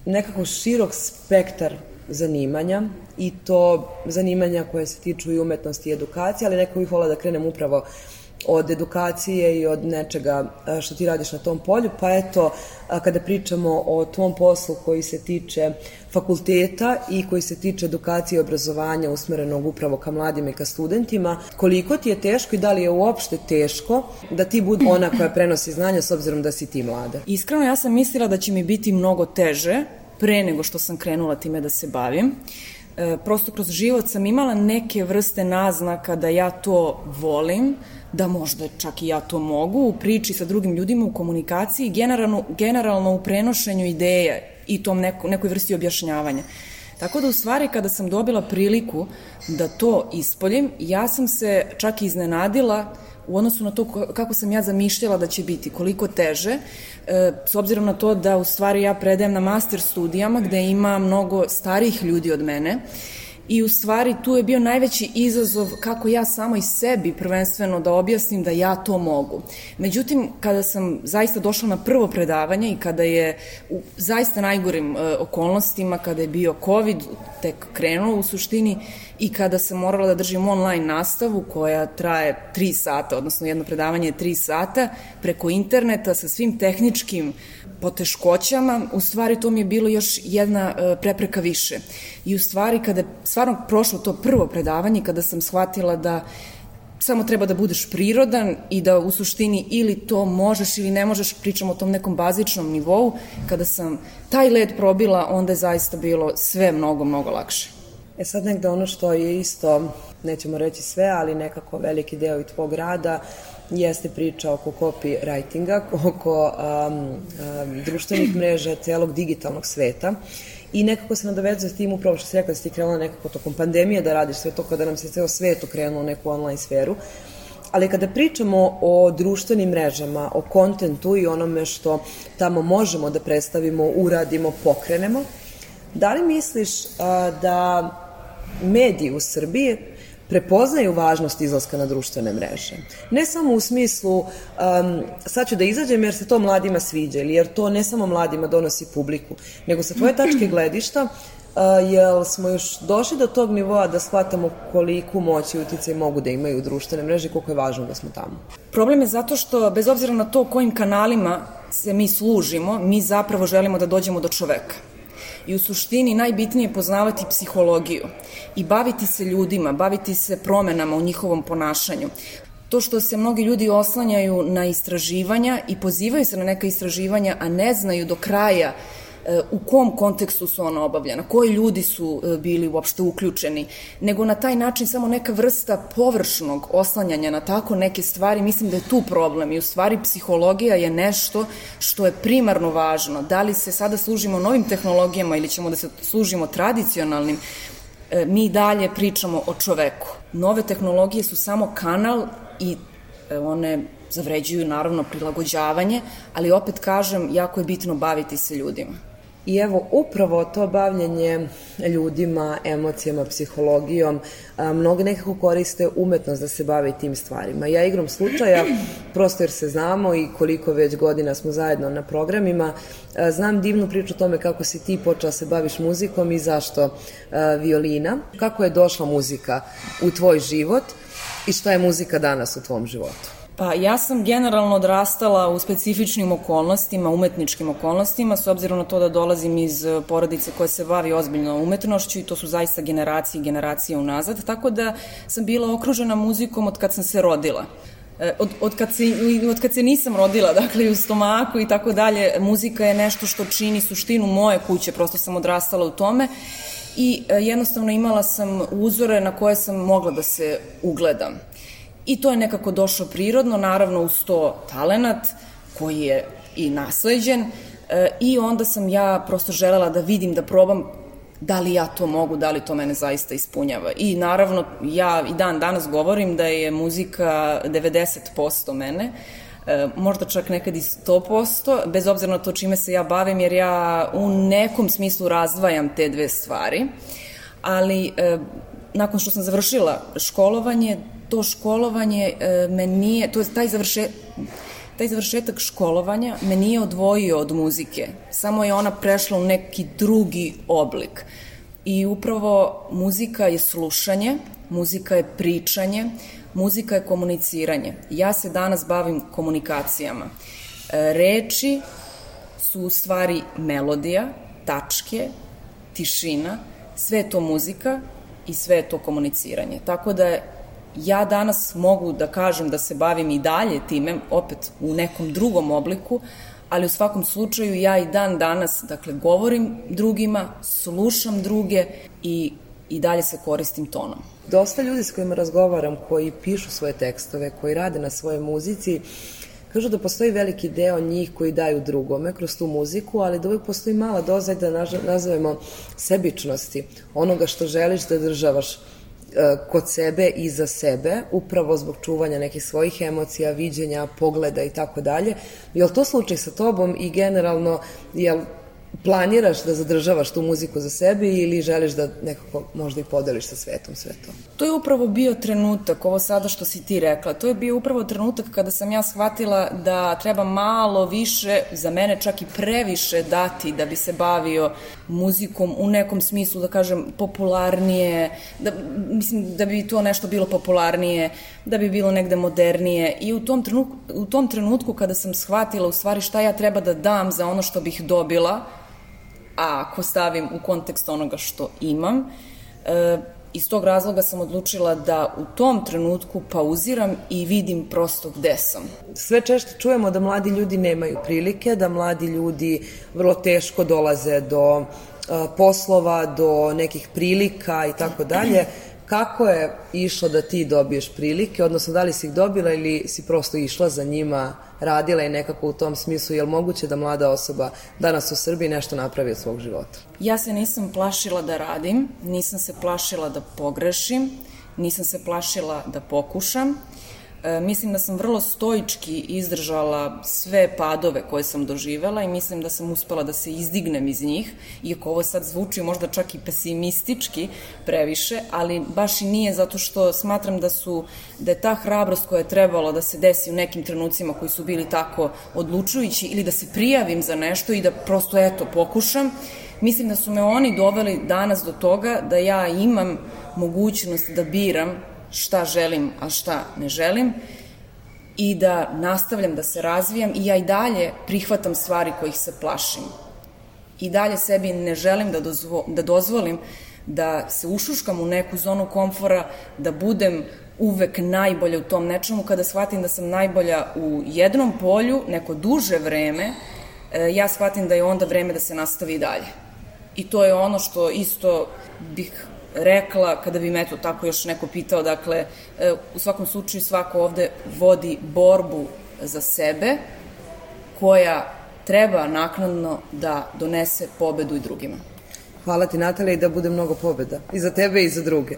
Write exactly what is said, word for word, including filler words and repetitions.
nekako širok spektar zanimanja i to zanimanja koje se tiču i umetnosti i edukacije, ali neko bih volila da krenem upravo od edukacije i od nečega što ti radiš na tom polju, pa eto, kada pričamo o tom poslu koji se tiče fakulteta i koji se tiče edukacije i obrazovanja usmerenog upravo ka mladima i ka studentima, koliko ti je teško i da li je uopšte teško da ti budi ona koja prenosi znanja s obzirom da si ti mlada? Iskreno, ja sam mislila da će mi biti mnogo teže pre nego što sam krenula time da se bavim. E, prosto kroz život sam imala neke vrste naznaka da ja to volim, da možda čak i ja to mogu u priči sa drugim ljudima, u komunikaciji, generalno, generalno u prenošenju ideje i tom neko, nekoj vrsti objašnjavanja. Tako da u stvari kada sam dobila priliku da to ispoljim, ja sam se čak i iznenadila u odnosu na to kako sam ja zamišljala da će biti, koliko teže, s obzirom na to da u stvari ja predajem na master studijama gde ima mnogo starijih ljudi od mene i u stvari tu je bio najveći izazov kako ja samo i sebi prvenstveno da objasnim da ja to mogu. Međutim, kada sam zaista došla na prvo predavanje i kada je u zaista najgorim e, okolnostima, kada je bio COVID, tek krenuo u suštini i kada sam morala da držim online nastavu koja traje tri sata, odnosno jedno predavanje je tri sata, preko interneta sa svim tehničkim poteškoćama, u stvari to mi je bilo još jedna prepreka više. I u stvari kada je stvarno prošlo to prvo predavanje, kada sam shvatila da samo treba da budeš prirodan i da u suštini ili to možeš ili ne možeš, pričam o tom nekom bazičnom nivou, kada sam taj led probila, onda je zaista bilo sve mnogo, mnogo lakše. E sad negde ono što je isto, nećemo reći sve, ali nekako veliki deo i tvog rada, jeste priča oko copywritinga, oko um, um, društvenih mreža, celog digitalnog sveta. I nekako se nadovezuje s tim upravo što si rekla da si ti krenula nekako tokom pandemije da radiš sve to kada nam se ceo svet okrenuo u neku online sferu. Ali kada pričamo o društvenim mrežama, o kontentu i onome što tamo možemo da predstavimo, uradimo, pokrenemo, da li misliš a, da mediji u Srbiji prepoznaju važnost izlaska na društvene mreže? Ne samo u smislu um, sad ću da izađem jer se to mladima sviđa ili jer to ne samo mladima donosi publiku, nego sa tvoje tačke gledišta, uh, jel smo još došli do tog nivoa da shvatamo koliku moć i uticaj mogu da imaju društvene mreže i koliko je važno da smo tamo? Problem je zato što, bez obzira na to kojim kanalima se mi služimo, mi zapravo želimo da dođemo do čoveka. I u suštini najbitnije je poznavati psihologiju i baviti se ljudima, baviti se promenama u njihovom ponašanju. To što se mnogi ljudi oslanjaju na istraživanja i pozivaju se na neka istraživanja, a ne znaju do kraja u kom kontekstu su ona obavljena, koji ljudi su bili uopšte uključeni, nego na taj način samo neka vrsta površnog oslanjanja na tako neke stvari, mislim da je tu problem i u stvari psihologija je nešto što je primarno važno. Da li se sada služimo novim tehnologijama ili ćemo da se služimo tradicionalnim, mi dalje pričamo o čoveku. Nove tehnologije su samo kanal i one zavređuju naravno prilagođavanje, ali opet kažem, jako je bitno baviti se ljudima. I evo, upravo to bavljenje ljudima, emocijama, psihologijom, mnogi nekako koriste umetnost da se bave tim stvarima. Ja igrom slučaja, prosto jer se znamo i koliko već godina smo zajedno na programima, znam divnu priču o tome kako si ti počela se baviš muzikom i zašto violina. Kako je došla muzika u tvoj život i šta je muzika danas u tvom životu? Pa ja sam generalno odrastala u specifičnim okolnostima, umetničkim okolnostima, s obzirom na to da dolazim iz porodice koja se bavi ozbiljno umetnošću i to su zaista generacije i generacije unazad, tako da sam bila okružena muzikom od kad sam se rodila. Od, od, kad se, od kad se nisam rodila, dakle u stomaku i tako dalje, muzika je nešto što čini suštinu moje kuće, prosto sam odrastala u tome i jednostavno imala sam uzore na koje sam mogla da se ugledam. I to je nekako došlo prirodno, naravno uz to talenat koji je i nasleđen e, i onda sam ja prosto želela da vidim, da probam da li ja to mogu, da li to mene zaista ispunjava. I naravno ja i dan danas govorim da je muzika devedeset posto mene, e, možda čak nekad i sto posto, bez obzira na to čime se ja bavim, jer ja u nekom smislu razdvajam te dve stvari, ali e, nakon što sam završila školovanje, to školovanje e, me nije, to je taj završe, taj završetak školovanja me nije odvojio od muzike, samo je ona prešla u neki drugi oblik. I upravo muzika je slušanje, muzika je pričanje, muzika je komuniciranje. Ja se danas bavim komunikacijama. Reči su u stvari melodija, tačke, tišina, sve je to muzika i sve je to komuniciranje. Tako da ja danas mogu da kažem da se bavim i dalje time, opet u nekom drugom obliku, ali u svakom slučaju ja i dan danas, dakle, govorim drugima, slušam druge i, i dalje se koristim tonom. Dosta ljudi s kojima razgovaram, koji pišu svoje tekstove, koji rade na svojoj muzici, kažu da postoji veliki deo njih koji daju drugome kroz tu muziku, ali da uvijek postoji mala doza da nazovemo sebičnosti, onoga što želiš da državaš kod sebe i za sebe, upravo zbog čuvanja nekih svojih emocija, viđenja, pogleda i tako dalje. Je li to slučaj sa tobom i generalno, jel planiraš da zadržavaš tu muziku za sebe ili želiš da nekako možda i podeliš sa svetom sve to? To je upravo bio trenutak, ovo sada što si ti rekla, to je bio upravo trenutak kada sam ja shvatila da treba malo više, za mene čak i previše dati da bi se bavio muzikom u nekom smislu, da kažem, popularnije, da, mislim da bi to nešto bilo popularnije, da bi bilo negde modernije i u tom trenutku, u tom trenutku kada sam shvatila u stvari šta ja treba da dam za ono što bih dobila, a ako stavim u kontekst onoga što imam, e, iz tog razloga sam odlučila da u tom trenutku pauziram i vidim prosto gde sam. Sve češće čujemo da mladi ljudi nemaju prilike, da mladi ljudi vrlo teško dolaze do a, poslova, do nekih prilika i tako dalje. Kako je išlo da ti dobiješ prilike, odnosno da li si ih dobila ili si prosto išla za njima, radila i nekako u tom smislu, je li moguće da mlada osoba danas u Srbiji nešto napravi od svog života? Ja se nisam plašila da radim, nisam se plašila da pogrešim, nisam se plašila da pokušam. E, mislim da sam vrlo stoički izdržala sve padove koje sam doživela i mislim da sam uspela da se izdignem iz njih, iako ovo sad zvuči možda čak i pesimistički previše, ali baš i nije, zato što smatram da su, da je ta hrabrost koja je trebalo da se desi u nekim trenucima koji su bili tako odlučujući ili da se prijavim za nešto i da prosto eto pokušam, mislim da su me oni doveli danas do toga da ja imam mogućnost da biram šta želim, a šta ne želim i da nastavljam da se razvijam i ja i dalje prihvatam stvari kojih se plašim. I dalje sebi ne želim da, dozvo, da dozvolim da se ušuškam u neku zonu komfora, da budem uvek najbolja u tom nečemu. Kada shvatim da sam najbolja u jednom polju neko duže vreme, ja shvatim da je onda vreme da se nastavi dalje. I to je ono što isto bih rekla kada bi me eto tako još neko pitao, dakle, u svakom slučaju svako ovde vodi borbu za sebe koja treba naknadno da donese pobedu i drugima. Hvala ti, Natalija, i da bude mnogo pobeda i za tebe i za druge.